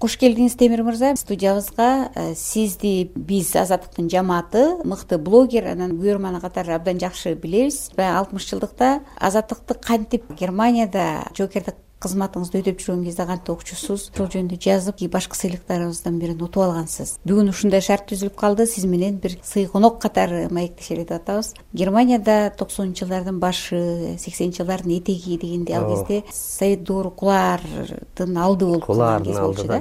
Кош келдиңиз, Темир мырза. Студиябызга сизди биз Азаттыктын жамааты, мыкты блогер, анан көрөрман катары абдан жакшы билебиз. 60 жылдыкта Азаттыкты кантип Германияда жоокердик кызматыңызды өтөп жүргөн кезде кантип окчусуз, ошол жөнүндө жазып, башкы сыйлыктарыбыздан бирин утуп алгансыз. Бүгүн ушундай шарт түзүлүп калды, сиз менен бир сый конок катары маектешели деп атабыз. Германияда 90-жылдардын башы, 80-жылдардын этеги дегенде ал кезде Совет доору кулардын алды болуп калган кез болчу да.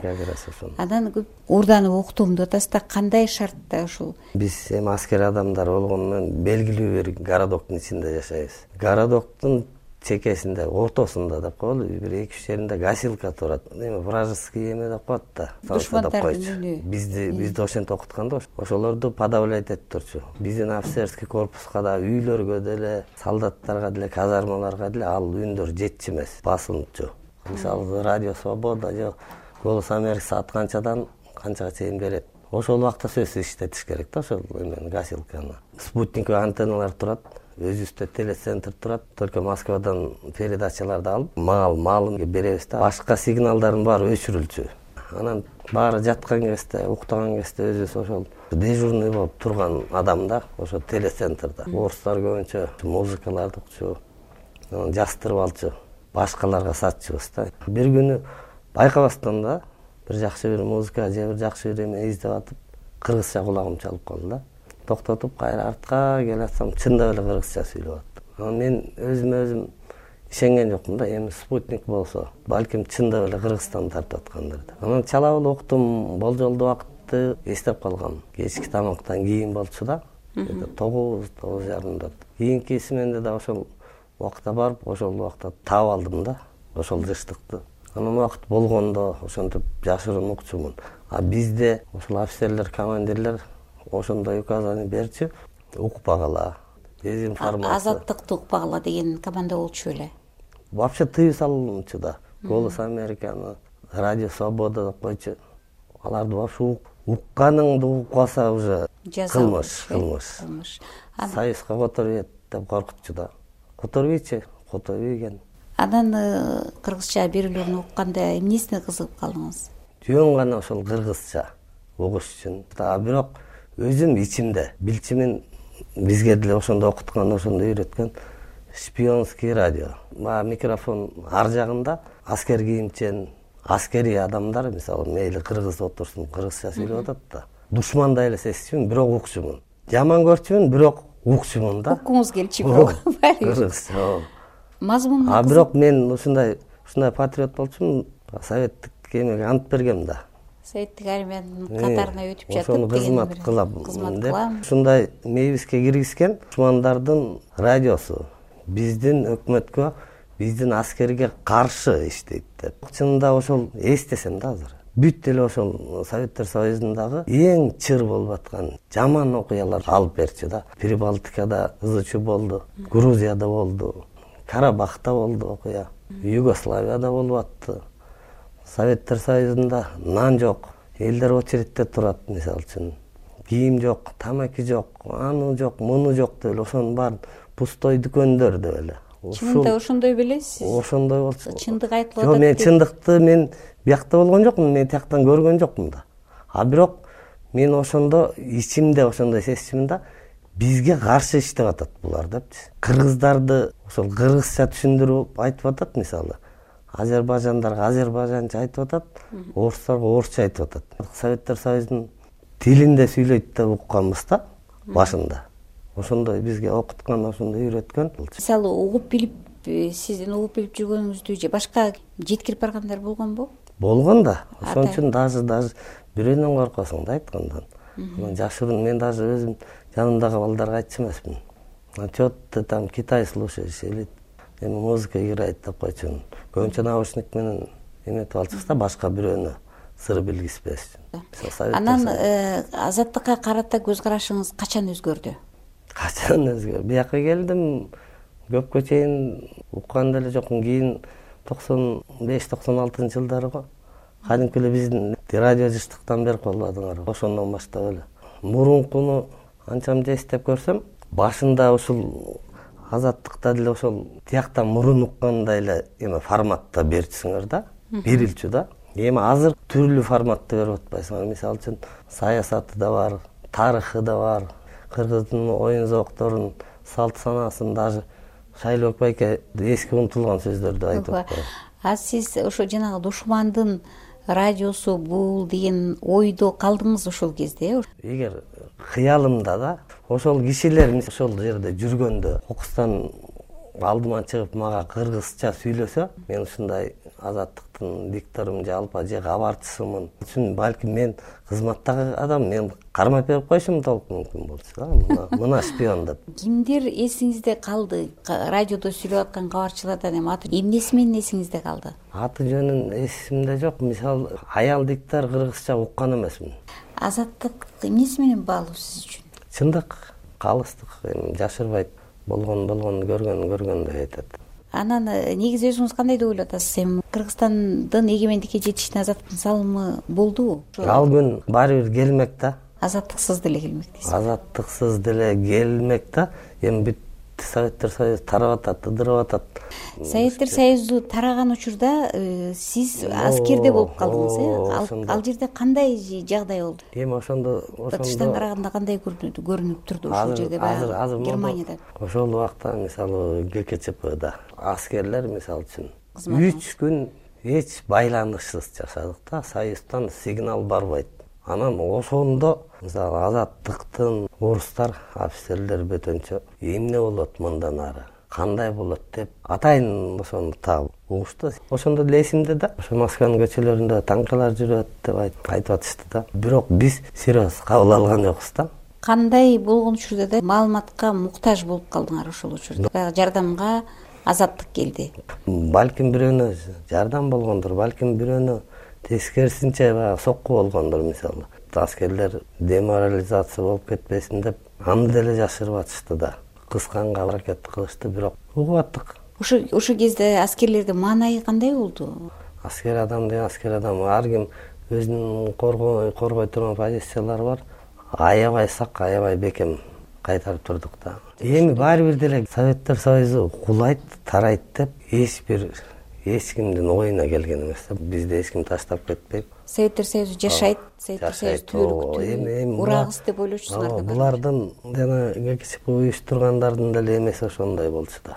Анан көп уурданып уктум деп атасыз да, кандай шартта ушул? Биз эми аскер адамдар болгону менен белгилүү бир городоктун ичинде жашайбыз. Городоктун чекесинде, ортосунда деп коелу, бир 2-3 жеринде гасилка турат. Эми вражеский эме деп коет да. Душмандардын Бизди ошентип окуткан да, ошолорду подавлять этип турчу. Биздин офицерский корпуска да, үйлөргө деле, солдаттарга деле, казармаларга деле ал үндөр жетчү эмес, басылчу. Мисалы Радио Свобода же Голос Америки атканчадан канчага чейин берет. Ошол убакта сөзсүз иштетиш керек да, ошол эмени, гасилканы. Спутниковый антенналар турат. Өзүбүздө телецентр турат. Только Москвадан передачаларды алып, маалымат беребиз да. Башка сигналдардын баары өчүрүлчү. Анан баары жаткан кезде, уктаган кезде өзүбүз ошол дежурный болуп турган адам да, ошо телецентрда. Орустар көбүнчө музыкаларды укчу, анан жастырып алчу, башкаларга сатчубуз да. Бир күнү байкабастан да бир жакшы бир музыка же бир жакшы бир эме издеп атып, кыргызча кулагым чалып калды да. Токтотуп кайра артка келатсам, чындап эле кыргызча сүйлөп атты. Анан мен өзүм ишенген жокмун да, эми спутник болсо, балким чындап эле Кыргызстан тартып аткандыр деп. Анан чалап эле уктум, болжолдуу убакытты эстеп калгам. Кечки тамактан кийин болчу да, 9:30. Кийинки сменде да ошол убакта барып, ошол убакта таап алдым да, ошол жыштыкты. Анан убакыт болгондо ошентип жашыруун укчумун. А бизде ошол офицерлер, командирлер ошондой указание берчү, укпагыла, дезинформация. Азаттыкты укпагыла деген команда болчу эле. Вообще тыюу салынчу да. Голос Американы, Радио Свобода деп койчу. Аларды вообще укканыңды укпаса уже кылмыш. Союзга которуп деп коркутчу да. Которбойчу, которбойген. Анан кыргызча берүүлөрүн укканда эмнесине кызыгып калдыңыз? Жөн гана ошол кыргызча угуш үчүн. Бирок өзүм ичимде билчимин, бизге деле ошондо окуткан, ошондо үйрөткөн шпионский радио. Микрофон ар жагында аскер кийимчен, аскери адамдар, мисалы, мейли кыргыз отурсун, кыргызча сүйлөп атат да. Душмандай эле сезчүмүн, бирок укчумун. Жаман көрчүмүн, бирок укчумун да. Уккуңуз келчү бирок. Кыргызча. Мазмуну. Бирок мен ушундай патриот болчумун, советтик эмеге ант бергем да. Советтик армиянын катарына өтүп жатып, ошону кызмат кылам деп. Ушундай мейибизге киргизген душмандардын радиосу биздин өкмөткө, биздин аскерге каршы иштейт деп. Чынында ошол эстесем да азыр. Бүт эле ошол Советтер Союзундагы эң чыр болуп аткан жаман окуялар алып берчү да. Прибалтикада ызычуу болду, Грузияда болду, Карабахта болду окуя, Югославияда болуп атты. Советтер Союзунда нан жок, элдер очередте турат, мисалы үчүн. Кийим жок, тамаки жок, аны жок, муну жок деп эле, ошонун баарын пустой дүкөндөр деп эле. Чынында ошондой белесиз? Ошондой болчу. Чындык айтылып атат. Жок, мен чындыкты мен биякта болгон жокмун, мен тияктан көргөн жокмун да. А бирок мен ошондо ичимде ошондой сезчүмүн да, бизге каршы иштеп атат булар депчи. Кыргыздарды ошол кыргызча түшүндүрүп айтып атат, мисалы. Азербайжандарга азербайжанча айтып атат, орустарга орусча айтып атат. Советтер Союзунун тилинде сүйлөйт деп укканбыз да башында. Ошондой бизге окуткан, ошондой үйрөткөн. Мисалы, угуп билип, сиздин угуп билип жүргөнүңүздү же башка жеткирип баргандар болгонбу? Болгон да. Ошон үчүн даже бирөөнөн коркосуң да айткандан. Анан жашыруун, мен даже өзүм жанымдагы балдарга айтчу эмесмин. Чё ты там Китай слушаешь или эми музыка играет деп койчумун. Көбүнчө наушник менен эметип алчубуз да, башка бирөөнө сыр билгизбеш үчүн. Анан азаттыкка карата көз карашыңыз качан өзгөрдү? Качан өзгөрдү? Бияка келдим, көпкө чейин уккан деле жокмун. Кийин 95-96 жылдары го. Кадимки эле биздин радио жыштыктан берип колдодуңар. Ошондон баштап эле. Мурункуну анчамча эстеп көрсөм, башында ушул азаттыкта деле ошол тияктан мурун уккандай эле эме форматта берчүсүңөр да, берилчү да. Эми азыр түрлүү форматты берип атпайсыңбы? Мисалы үчүн саясаты да бар, тарыхы да бар, кыргыздын оюн зоокторун, салт санаасын, даже Шайлоок байке эски унутулган сөздөрдү айтып атпайбы? А сиз ошо жанагы душмандын радиосу бул деген ойдо калдыңыз ошол кезде? Эгер кыялымда да ошол кишилер ошол жерде жүргөндө кокустан алдыма чыгып мага кыргызча сүйлөсө, мен ушундай азаттыктын дикторумун же кабарчысымын үчүн балким мен кызматтагы адам, мен кармап берип коюшум да мүмкүн болчу да, мына шпион деп. Кимдер эсиңизде калды? Радиодо сүйлөп аткан кабарчылардан эмнеси менен эсиңизде калды? Аты жөнүн эсимде жок. Мисалы, аял диктор кыргызча уккан эмесмин. Азаттык эмнеси менен баалуу сиз үчүн? Чындык, калыстык, жашырбайт. Болгон көргөн деп айтат. Анан негизи өзүңүз кандай деп ойлоп атасыз? Эми Кыргызстандын эгемендикке жетишине азаттыктын салымы болдубу? Ал күн баары бир келмек да. Азаттыксыз деле келмек дейсиз. Азаттыксыз деле келмек да. Эми бүт Советтер Союзу тарап атат, ыдырап атат. Советтер Союзу тараган учурда сиз аскерде болуп калдыңыз, Ал жерде кандай жагдай болду? Эми ошондо тышtan караганда кандай көрүнүп турду ошол жерде баягы Германияда? Ошол убакта мисалы ГКЧПда аскерлер мисалы үчүн 3 күн эч байланышсыз жашадык да, Союздан сигнал барбайт. Анан ошондо мисалы азаттыктын орустар, офицерлер бөтөнчө эмне болот мындан ары, кандай болот деп атайын ошону таап угушту. Ошондо деле эсимде да, ошо Москванын көчөлөрүндө танкалар жүрөт деп айтып атышты да. Бирок биз серьез кабыл алган жокпуз да. Кандай болгон учурда да маалыматка муктаж болуп калдыңар ошол учурда? Баягы жардамга азаттык келди. Балким бирөөнө жардам болгондур, балким бирөөнө тескерисинче баягы сокку болгондур. Мисалы, аскерлер деморализация болуп кетпесин деп аны деле жашырып атышты да. Кысканга аракет кылышты, бирок угуп аттык. Ошол кезде аскерлердин маанайы кандай болду? Аскер адам деген аскер адам. Ар ким өзүнүн коргой турган позициялары бар. Аябай сак, аябай бекем кайтарып турдук да. Эми баары бир деле Советтер Союзу кулайт, тарайт деп эч кимдин оюна келген эмес. Бизди эч ким таштап кетпейт. Советтер Союзу жашайт, Советтер Союзу түбөлүктүү урагыс деп ойлочусуңар. Булардын жана ГКЧП уюштургандардын деле эмеси ошондой болчу да.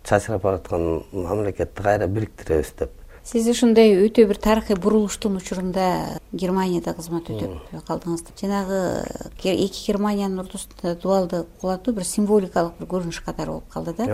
Чачырап бараткан мамлекетти кайра бириктиребиз деп. Сиз ушундай өтө бир тарыхый бурулуштун учурунда Германияда кызмат өтөп калдыңыз. Жанагы эки Германиянын ортосунда дуалды кулатуу бир символикалык бир көрүнүш катары болуп калды да.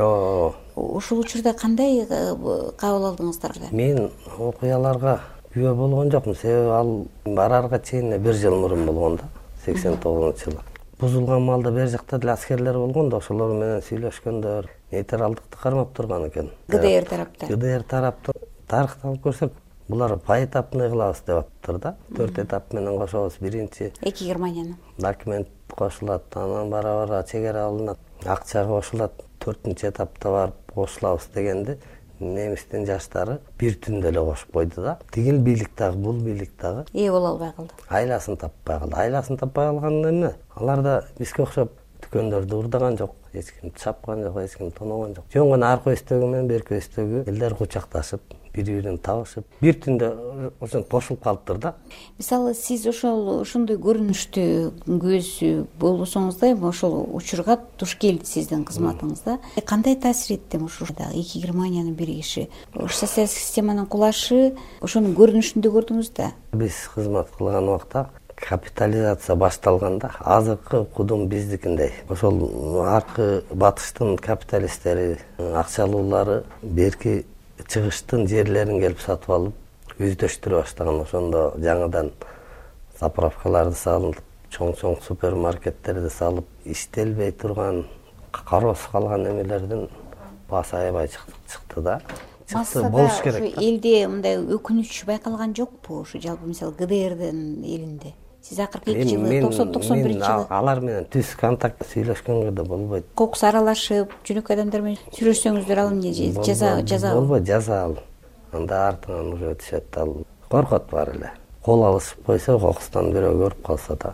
Ошол учурда кандай кабыл алдыңыздар? Мен окуяларга күбө болгон жокмун, себеби ал барарга чейин 1 жыл мурун болгон да, 89-жылы. Бузулган малда бер жакта деле аскерлер болгон да, ошолор менен сүйлөшкөндө нейтралдыкты кармап турган экен. ГДР тараптан. ГДР тараптан тарыхты алып көрсөк, булар поэтапный кылабыз деп атыптыр да. 4 этап менен кошобуз. Биринчи эки Германияны документ кошулат, анан бара-бара чегара алынат, акча кошулат, 4-нчи этапта барып кошулабыз дегенди немистин жаштары бир түндө эле кошуп койду да. Тигил бийлик дагы, бул бийлик дагы боло албай калды. Айласын таппай калды. Айласын таппай калган эмне? Алар да бизге окшоп дүкөндөрдү урдаган жок, эч ким чапкан жок, эч ким тоногон жок. Жөн гана аркы өстөгү менен берки өстөгү элдер кучакташып, бири-бирин табышып, бир түндө ошентип кошулуп калыптыр да. Мисалы, сиз ошондой көрүнүштү көз болсоңуз да, ошол учурга туш келди сиздин кызматыңызда. Кандай таасир этти ушурда эки Германиянын биригиши? Социалдык системанын кулашы ошонун көрүнүшүндө көрдүңүз да? Биз кызмат кылган убакта капитализация башталганда азыркы кудум биздикиндей. Ошол аркы батыштын капиталисттери, акчалуулары берки чыгыштын жерлерин келип сатып алып, өздөштүрө баштаган. Ошондо жаңыдан заправкаларды салып, чоң-чоң супермаркеттерди салып, иштелбей турган, кароосуз калган эмелердин баасы аябай чыкты да. Болуш керек. Ошо элде мындай өкүнүч байкалган жокпу? Ошо жалпы мисалы ГДРдин элинде. Сиз акыркы 2 жылы 91-жылы алар менен түз контакт сүйлөшкөнгө да болбойт. Кокус аралашып, жөнөкөй адамдар менен сүйлөшсөңүздөр ал эмне жаза болбойт, жаза ал. Анда артынан уже түшөт, ал коркот бар эле. Кол алышып койсо, кокустан бирөө көрүп калса да,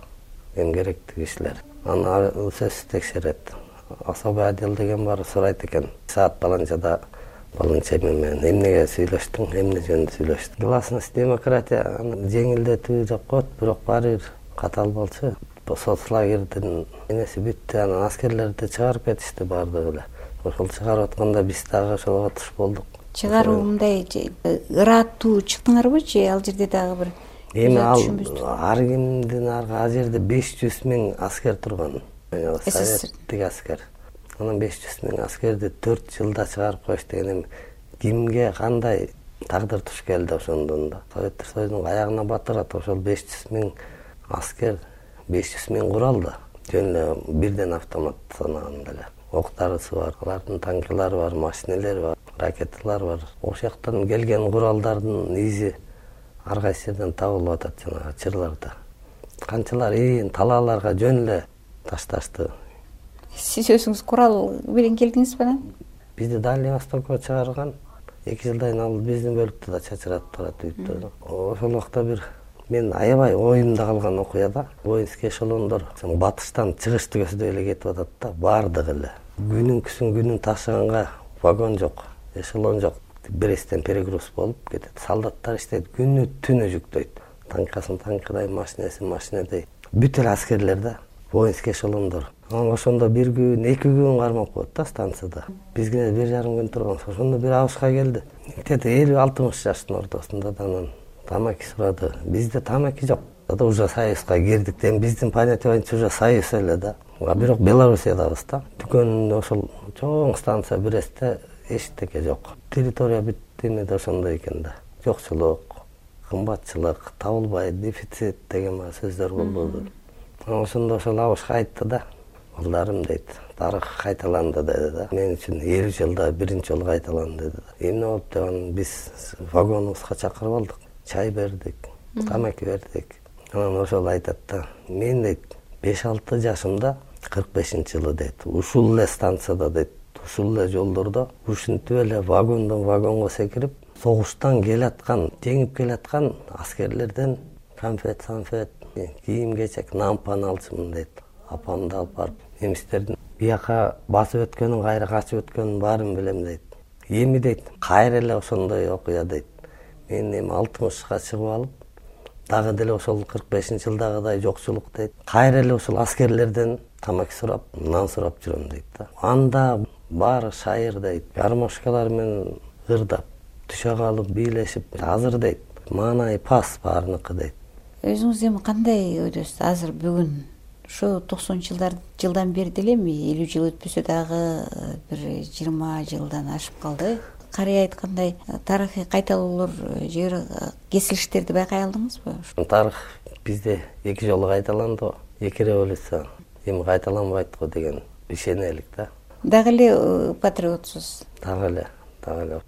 эң керектүү кишилер. Аны сөзсүз текшерет. Особый отдел деген бар, сурайт экен. Саат баланчада балынча менен эмнеге сүйлөштүң, эмне жөнүндө сүйлөштүң. Гласность демократия жеңилдетүү деп коет, бирок баары бир катал болчу. Соцлагердин энеси бүттү, анан аскерлерди чыгарып кетишти баардыгы эле. Ошол чыгарып атканда биз дагы ошого туш болдук. Чыгаруу мындай ыраттуу чыктыңарбы же ал жерде дагы бир эми ар кимдин ал жерде 500 000 аскер турган. Советтик аскер. Анан 500 000 аскерди 4 жылда чыгарып коюш деген эми кимге кандай тагдыр туш келди ошондон да. Советтер Союзунун аягына батырат ошол 500 000 аскер, 500 000 курал да. Жөн эле бирден автомат санаганда эле. Октарысы бар, алардын танкылары бар, машинелери бар, ракеталары бар. Ошол жактан келген куралдардын изи ар кайсы жерден табылып атат жанагы чырларда. Канчалар талааларга жөн эле ташташты. Сиз өзүңүз курал менен келдиңизби анан? Бизди Дальний Востокко чыгарган 2 жылдан кийин ал биздин бөлүктө да чачыратып турат үйдө. Ошол убакта бир мен аябай оюмда калган окуя да. Воинский эшелондор батыштан чыгышты көздөй эле кетип атат да, баардыгы эле. Күнүн ташыганга вагон жок, эшелон жок. Бресттен перегруз болуп кетет. Солдаттар иштейт, күнү түнү жүктөйт. Танкасын танкыдай, машинесин машинедай. Бүт эле аскерлер да, воинский эшелондор. Анан ошондо 1 күн, 2 күн кармап коет да станцияда. Бизге 1,5 күн турган. Ошондо бир абышка келди. Где-то 50-60 жаштын ортосунда да анан тамаки сурады. Бизде тамаки жок. Да уже Союзга кирдик. Эми биздин понятие боюнча уже Союз эле да. Бирок Белоруссиядабыз да. Дүкөн ошол чоң станция Брестте эчтеке жок. Территория бүт эмеде ошондой экен да. Жокчулук, кымбатчылык, табылбай, дефицит деген сөздөр болду. Ошондо ошол абышка айтты да. Балдарым дейт, тарых кайталанды деди да. Мен үчүн 50 жылда биринчи жолу кайталанды деди. Эмне болуп деган биз вагонубузга чакырып алдык. Чай бердик, тамаки бердик. Анан ошол айтат да. Мен дейт 5-6 жашымда 45-жылы дейт. Ушул эле станцияда дейт, ушул эле жолдордо ушинтип эле вагондон вагонго секирип, согуштан келаткан, жеңип келаткан аскерлерден конфет, кийим-кечек, нампан алчумун дейт. Апамды алып барып, немистердин бияка басып өткөнүн, кайра качып өткөнүн баарын билем дейт. Эми дейт, кайра эле ошондой окуя дейт. Мен эми 60га чыгып алып, дагы деле ошол 45-жылдагыдай жокчулук дейт. Кайра эле ошол аскерлерден тамаки сурап, нан сурап жүрөм дейт да. Анда баары шайыр дейт. Гармошкалар менен ырдап, түшө калып, бийлешип, азыр дейт. Маанай пас баарыныкы дейт. Өзүңүз эми кандай ойдосуз? Азыр бүгүн ошо 90-жылдан бери деле 50 жыл өтпөсө дагы бир 20 жылдан ашып калды. Карый айткандай тарыхый кайталоолор же кесилиштерди байкай алдыңызбы? Тарых бизде 2 жолу кайталанды, 2 революция. Эми кайталанбайт го деген ишенелик да. Дагы эле патриотсуз. Дагы эле.